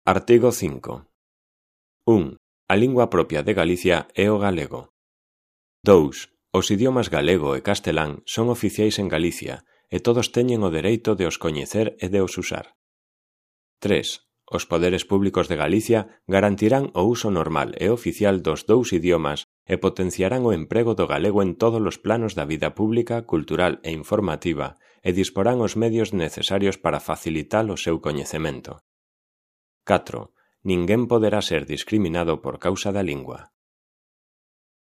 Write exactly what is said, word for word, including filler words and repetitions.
Artigo cinco. un. A lingua propia de Galicia é o galego. dous. Os idiomas galego e castelán son oficiais en Galicia e todos teñen o dereito de os coñecer e de os usar. tres. Os poderes públicos de Galicia garantirán o uso normal e oficial dos dous idiomas e potenciarán o emprego do galego en todos os planos da vida pública, cultural e informativa e disporán os medios necesarios para facilitar o seu coñecemento. catro. Ninguén poderá ser discriminado por causa da lingua.